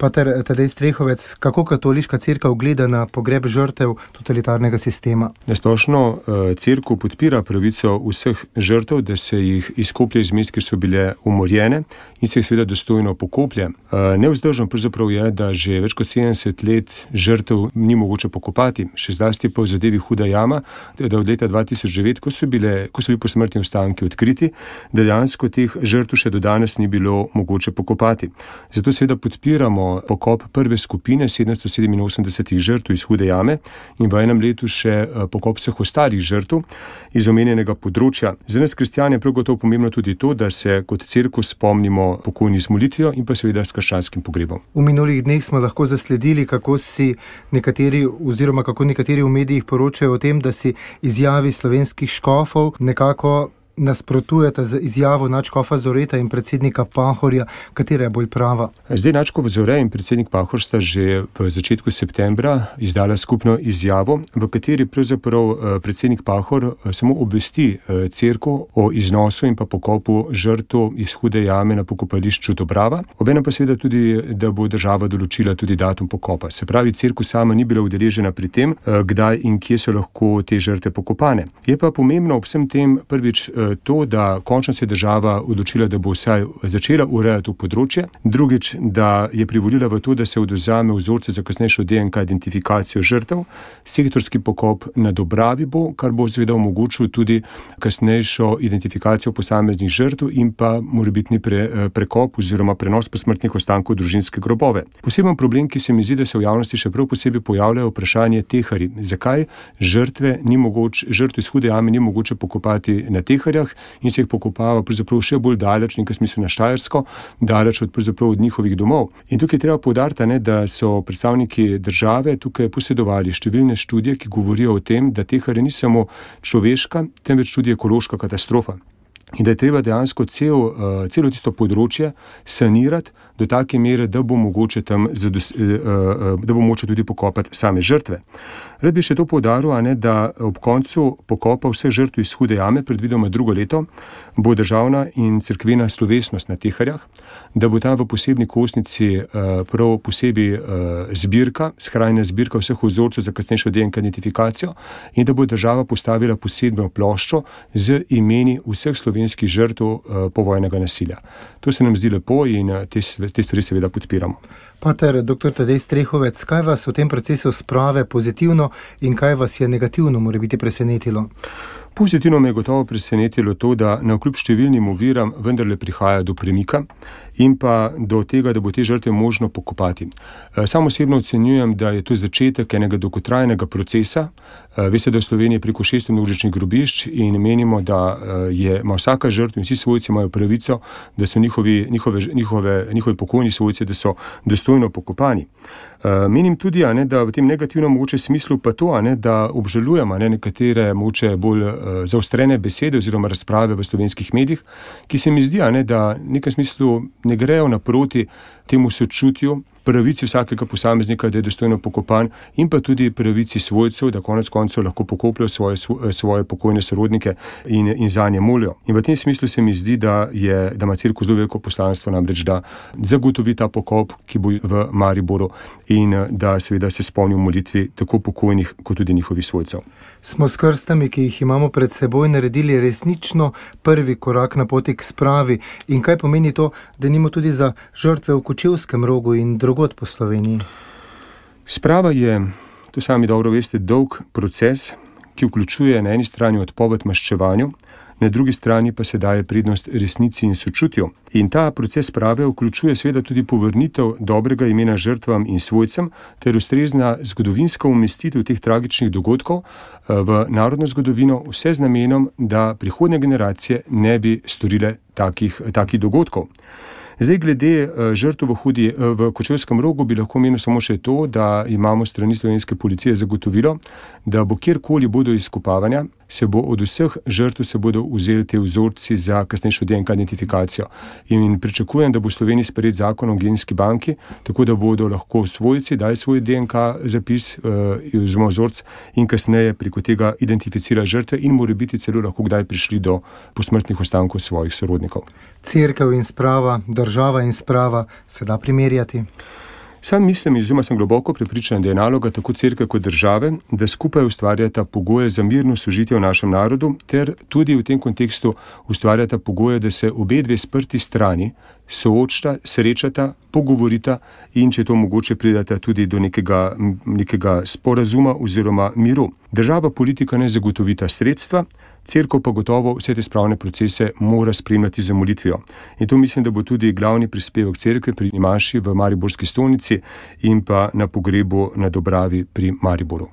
Pater Tadej Strehovec, kako katoliška cerkev gleda na pogreb žrtev totalitarnega sistema? Nasplošno cerkev podpira pravico vseh žrtev, da se jih izkoplje iz mest, kjer so bile umorjene in se jih seveda dostojno pokoplje. Nevzdržno pravzaprav je, da že več kot 70 let žrtev ni mogoče pokopati, še zlasti pa v zadevi Huda jama, da od leta 2009, ko so bili posmrtni ostanki odkriti, da dejansko teh žrtev še do danes ni bilo mogoče pokopati. Zato seveda podpiramo pokop prve skupine 787 žrtev iz Hude jame in v enem letu še pokop vseh ostalih žrtev iz omenjenega področja. Za nas kristjane je prav gotovo pomembno tudi to, da se kot cerkev spomnimo pokojnih z molitvijo in pa seveda s krščanskim pogrebom. V minulih dneh smo lahko zasledili, kako nekateri v medijih poročajo o tem, da si izjavi slovenskih škofov nekako nasprotujeta z izjavo nadškofa Zoreta in predsednika Pahorja, katera je bolj prava? Zdaj nadškof Zore in predsednik Pahor sta že v začetku septembra izdala skupno izjavo, v kateri pravzaprav predsednik Pahor samo obvesti cerkev o iznosu in pa pokopu žrtev iz Hude jame na pokopališču Dobrava. Obenem pa seveda tudi, da bo država določila tudi datum pokopa. Se pravi, cerkev sama ni bila udeležena pri tem, kdaj in kje so lahko te žrtve pokopane. Je pa pomembno ob vsem tem prvič to, da končno se je država odločila, da bo vsaj začela urejati to področje. Drugič, da je privolila v to, da se odvzame vzorce za kasnejšo DNK identifikacijo žrtev. Sektorski pokop na Dobravi bo, kar bo seveda omogočil tudi kasnejšo identifikacijo posameznih žrtev in pa morebitni prekop oziroma prenos posmrtnih ostankov v družinske grobove. Poseben problem, ki se mi zdi, da se v javnosti še prav posebej pojavljajo, vprašanje teharji. Zakaj žrtve iz Hude jame ni mogoče pokopati na teharjah in se jih pokopava pravzaprav še bolj daleč, nekaj smislu na Štajersko, daleč od njihovih domov. In tukaj treba poudariti, da so predstavniki države tukaj posedovali številne študije, ki govorijo o tem, da teharje ni samo človeška, temveč tudi ekološka katastrofa. In da je treba dejansko celo tisto področje sanirati do take mere, da bo mogoče tudi pokopati same žrtve. Rad bi še to poudaril, da ob koncu pokopa vseh žrtev iz Hude jame, predvidoma drugo leto, bo državna in cerkvena slovesnost na teharjah, da bo tam v posebni kostnici prav posebej zbirka, skrajna zbirka vseh vzorcev za kasnejšo DNK identifikacijo in da bo država postavila posebno ploščo z imeni vseh slovenskih žrtev povojnega nasilja. To se nam zdi lepo in te stvari seveda podpiramo. Pater dr. Tadej Strehovec, kaj vas v tem procesu sprave pozitivno in kaj vas je negativno morebiti presenetilo? Pozitivno me je gotovo presenetilo to, da navkljub številnim oviram vendarle prihaja do premika in pa do tega, da bo te žrtve možno pokopati. Sam osebno ocenjujem, da je to začetek enega dolgotrajnega procesa. Veste, da v Sloveniji preko 600 množičnih grobišč in menimo, da ima vsaka žrtev in vsi svojci imajo pravico, da so njihovi pokojni svojci, da so dostojno pokopani. Menim tudi, da v tem negativnem mogoče smislu pa to, da obžalujem nekatere mogoče bolj zaostrene besede oziroma razprave v slovenskih medijih, ki se mi zdi, da v nekem smislu ne grejo naproti temu sočutju, pravici vsakega posameznika, da je dostojno pokopan in pa tudi pravici svojcev, da konec koncev lahko pokopljajo svoje pokojne sorodnike in zanje molijo. In v tem smislu se mi zdi, da ima cerkev zelo veliko poslanstvo, namreč da zagotovi ta pokop, ki bo v Mariboru in da seveda se spomni v molitvi tako pokojnih kot tudi njihovih svojcev. Smo s krstami, ki jih imamo pred seboj, naredili resnično prvi korak na poti k spravi in kaj pomeni to, da nimo tudi za žrtve v Kočevskem Rogu in drugod po Sloveniji? Sprava je, to sami dobro veste, dolg proces, ki vključuje na eni strani odpoved maščevanju, na drugi strani pa se daje prednost resnici in sočutju. In ta proces sprave vključuje seveda tudi povrnitev dobrega imena žrtvam in svojcem ter ustrezna zgodovinska umestitev teh tragičnih dogodkov v narodno zgodovino, vse z namenom, da prihodnje generacije ne bi storile takih dogodkov. Zdaj, glede žrtev v Kočevskem Rogu bi lahko menil samo še to, da imamo strani slovenske policije zagotovilo, da bo kjerkoli bodo izkopavanja, se bo od vseh žrtev se bodo vzeli te vzorci za kasnejšo DNK identifikacijo. In pričakujem, da bo v Sloveniji sprejet zakon o genski banki, tako da bodo lahko svojci dali svoj DNK zapis oziroma vzorc in kasneje preko tega identificirali žrtve in morebiti celo lahko kdaj prišli do posmrtnih ostankov svojih sorodnikov. Cerkev in sprava, država in sprava se da primerjati? Sam mislim oziroma sem globoko prepričan, da je naloga tako cerkve kot države, da skupaj ustvarjata pogoje za mirno sožitje v našem narodu, ter tudi v tem kontekstu ustvarjata pogoje, da se obe dve sprti strani soočata, srečata, pogovorita in če to mogoče pridata tudi do nekega sporazuma oziroma miru. Država, politika ne zagotovita sredstva, cerkev pa gotovo vse te spravne procese mora spremljati z molitvijo. In to mislim, da bo tudi glavni prispevek cerkve pri maši v mariborski stolnici in pa na pogrebu na Dobravi pri Mariboru.